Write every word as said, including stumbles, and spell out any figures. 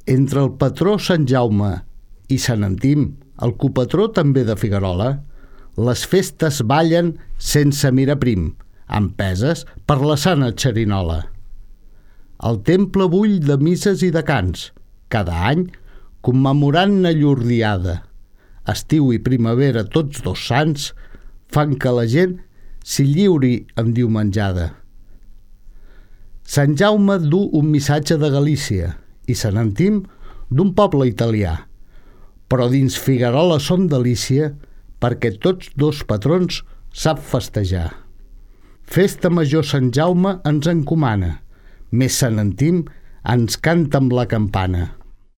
Entre el patró Sant Jaume i Sant Antim, el copatró també de Figuerola, les festes ballen sense mirar prim, empeses per la sana xerinola. El temple bull de misses i de cants, cada any commemorant-ne llur diada. Estiu i primavera, tots dos sants, fan que la gent s'hi lliuri en diumenjada. Sant Jaume du un missatge de Galícia i Sant Antim d'un poble italià, però dins Figuerola són delícia perquè tots dos patrons sap festejar. Festa major Sant Jaume ens encomana, més Sant Antim ens canta amb la campana.